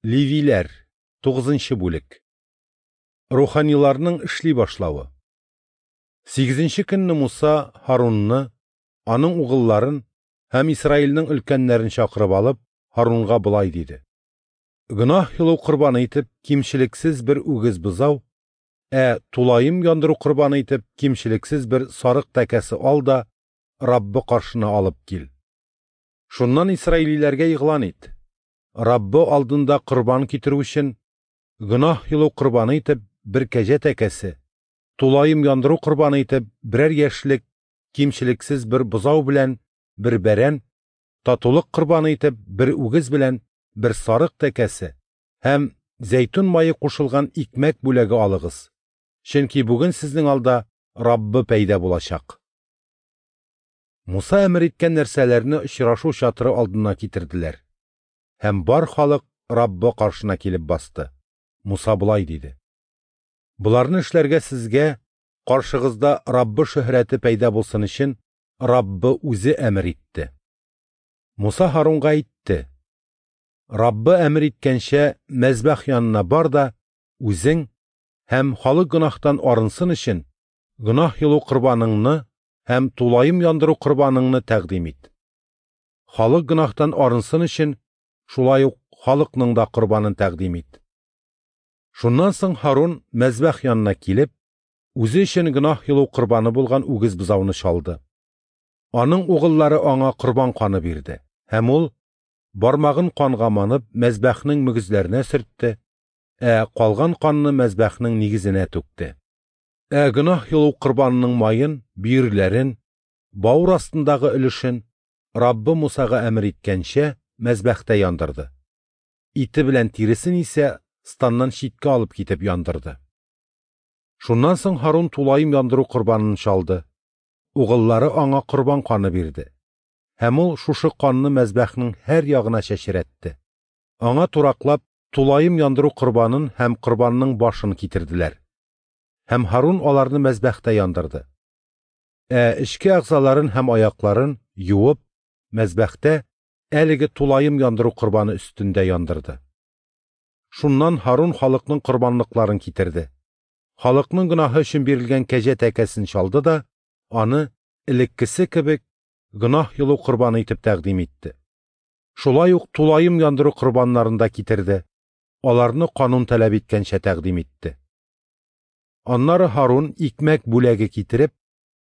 Левиләр, 9 бүлек. Руханиларның эшли башлавы. Сигезенче көнне Муса Һарунны, аның угылларын һәм Исраилнең өлкәннәрен чакырып алып, Һарунга болай диде: Гөнаһ йолу корбаны итеп кимчелексез бер үгез бозау, ә тулаем яндыру корбаны итеп кимчелексез бер сарык тәкәсе ал да Раббы каршына алып кил. Шуннан исраилиләргә игълан ит: Раббы алдында корбан китерү өчен, гөнаһ йолу корбаны итеп бер кәҗә тәкәсе, тулаем яндыру корбаны итеп берәр яшьлек кимчелексез бер бозау белән бер бәрән, татулык корбаны итеп бер үгез белән бер сарык тәкәсе һәм зәйтүн мае кушылган икмәк бүләге алыгыз. Чөнки бүген сезнең алда Раббы пәйда булачак. Муса әмер иткән нәрсәләрне очрашу чатыры алдына китерделәр. Һәм бар халык Раббы каршына килеп басты. Муса болай диде: Боларны эшләргә сезгә каршыгызда Раббы шөһрәте пәйда булсын өчен Раббы үзе әмер итте. Муса Һарунга әйтте: Раббы әмер иткәнчә мәзбәх янына бар да үзең һәм халык гөнаһтан арынсын өчен гөнаһ йолу корбаныңны һәм тулаем яндыру корбаныңны тәкъдим ит. Халык гөнаһтан арынсын өчен шулай ук халыкның да корбанын тәкъдим ит. Шуннан соң Һарун мәзбәх янына килеп, үзе өчен гөнаһ йолу корбаны булган үгез бозауны чалды. Аның угыллары аңа корбан каны бирде, һәм ул бармагын канга манып мәзбәхнең мөгезләренә сөртте, ә калган канны мәзбәхнең нигезенә түкте. Ә гөнаһ йолу корбанының маен, бөерләрен, бавыр астындагы өлешен Раббы Мусага әмер иткәнчә мәзбәхтә яндырды. Ите белән тиресен исә станнан читкә алып китеп яндырды. Шуннан соң Һарун тулаем яндыру корбанын чалды. Угыллары аңа корбан каны бирде. Һәм ул шушы канны мәзбәхнең һәр ягына чәчрәтте. Аңа тураклап тулаем яндыру корбанын һәм корбанның башын китерделәр. Һәм Һарун аларны мәзбәхтә яндырды. Ә эчке әгъзаларын һәм аякларын юып, мәзбәхтә әлеге тулаем яндыру корбаны өстендә яндырды. Шуннан Һарун халыкның корбанлыкларын китерде. Халыкның гөнаһы өчен бирелгән кәҗә тәкәсен чалды да, аны элеккесе кебек гөнаһ йолу корбаны итеп тәкъдим итте. Шулай ук тулаем яндыру корбаннарын да китерде. Аларны канун таләп иткәнчә тәкъдим итте. Аннары Һарун икмәк бүләге китереп,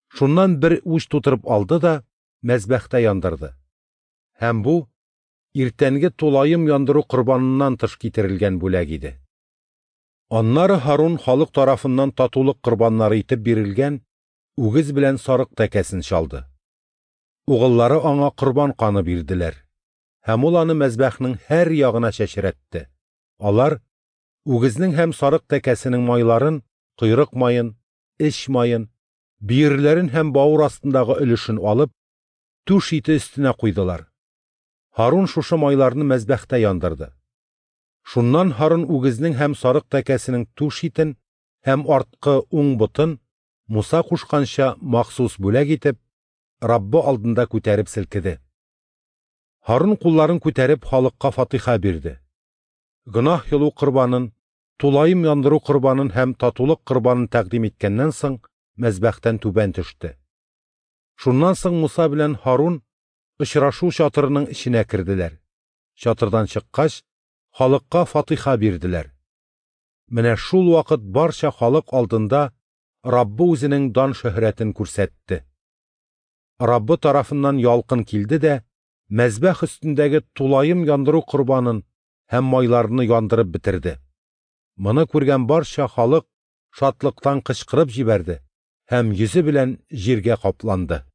шуннан бер уч тутырып алды да мәзбәхтә яндырды. Һәм бу иртәнге тулаем яндыру корбаныннан тыш китерелгән бүләк иде. Аннары Һарун халык тарафыннан татулык корбаннары итеп бирелгән үгез белән сарык тәкәсен чалды. Угыллары аңа корбан каны бирделәр. Һәм ул аны мәзбәхнең һәр ягына чәчрәтте. Алар үгезнең һәм сарык тәкәсенең майларын, койрык маен, эч маен, бөерләрен һәм бавыр астындагы өлешен алып, түш ите өстенә куйдылар. Һарун шушы майларны мәзбәхтә яндырды. Шуннан Һарун үгезнең һәм сарык тәкәсенең түш итен һәм арткы уң ботын Муса кушканча махсус бүләк итеп, Раббы алдында күтәреп селкеде. Һарун кулларын күтәреп халыкка фатиха бирде. Гөнаһ йолу корбанын, тулаем яндыру корбанын һәм татулык корбанын тәкъдим иткәннән соң мәзбәхтән түбән төште. Шуннан соң Муса белән Һарун очрашу чатырының эченә керделәр. Чатырдан чыккач, халыкка фатиха бирделәр. Менә шул вакыт барча халык алдында Раббы үзенең дан шөһрәтен күрсәтте. Раббы тарафыннан ялкын килде дә, мәзбәх өстендәге тулаем яндыру корбанын һәм майларны яндырып бетерде. Моны күргән барча халык шатлыктан кычкырып җибәрде һәм йөзе белән җиргә капланды.